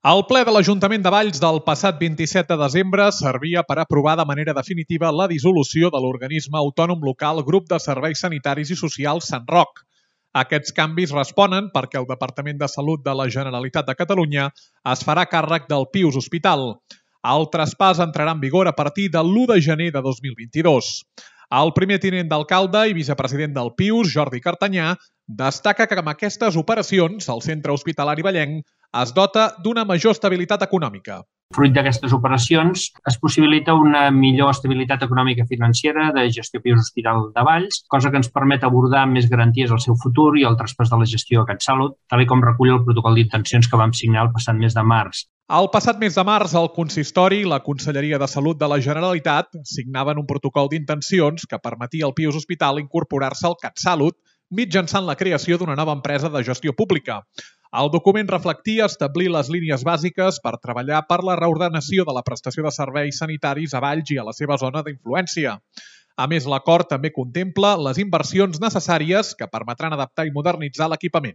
El ple de l'Ajuntament de Valls del passat 27 de desembre servia per aprovar de manera definitiva la dissolució de l'organisme autònom local Grup de Serveis Sanitaris i Socials Sant Roc. Aquests canvis responen perquè el Departament de Salut de la Generalitat de Catalunya es farà càrrec del Pius Hospital. El traspàs entrarà en vigor a partir de l'1 de gener de 2022. El primer tinent d'alcalde i vicepresident del Pius, Jordi Cartanyà, destaca que amb aquestes operacions el centre hospitalari vallenc es dota d'una major estabilitat econòmica. Fruit d'aquestes operacions es possibilita una millor estabilitat econòmica financera de gestió Pius Hospital de Valls, cosa que ens permet abordar amb més garanties el seu futur i el traspàs de la gestió a CatSalut, tal com recull el protocol d'intencions que vam signar el passat mes de març. El passat mes de març, el Consistori i la Conselleria de Salut de la Generalitat signaven un protocol d'intencions que permetia al Pius Hospital incorporar-se al CatSalut mitjançant la creació d'una nova empresa de gestió pública. El document reflectia establir les línies bàsiques per treballar per la reordenació de la prestació de serveis sanitaris a Valls i a la seva zona d'influència. A més, l'acord també contempla les inversions necessàries que permetran adaptar i modernitzar l'equipament.